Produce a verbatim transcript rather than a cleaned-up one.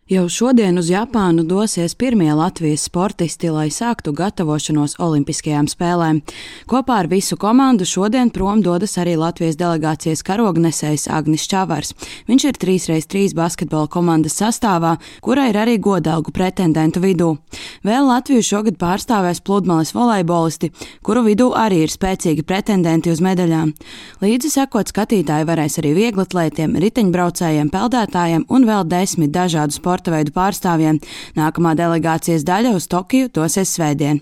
Jau šodien uz Japānu dosies pirmie Latvijas sportisti, lai sāktu gatavošanos Olimpiskajām spēlēm. Kopā ar visu komandu šodien prom dodas arī Latvijas delegācijas karognesējs Agnis Čavars. Viņš ir trīs pret trīs basketbola komandas sastāvā, kura ir arī godalgu pretendentu vidū. Vēl Latviju šogad pārstāvēs pludmales volejbolisti, kuru vidū arī ir spēcīgi pretendenti uz medaļām. Līdzi sekot skatītāji varēs arī vieglatlētiem, riteņbraucējiem, peldētājiem un vēl desmit dažādu sporta veidu pārstāvjiem. Nākamā delegācijas daļa uz Tokiju dosies svētdien.